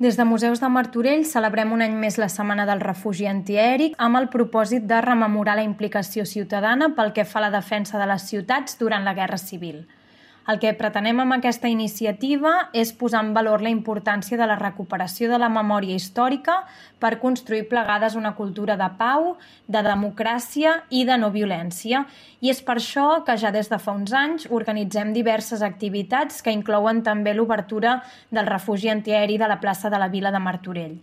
Des de Museus de Martorell celebrem un any més la Setmana del Refugi Antiaeri amb el propòsit de rememorar la implicació ciutadana pel que fa a la defensa de les ciutats durant la Guerra Civil. El que pretenem amb aquesta iniciativa és posar en valor la importància de la recuperació de la memòria històrica per construir plegades una cultura de pau, de democràcia i de no violència. I és per això que ja des de fa uns anys organitzem diverses activitats que inclouen també l'obertura del refugi antiaeri de la plaça de la Vila de Martorell.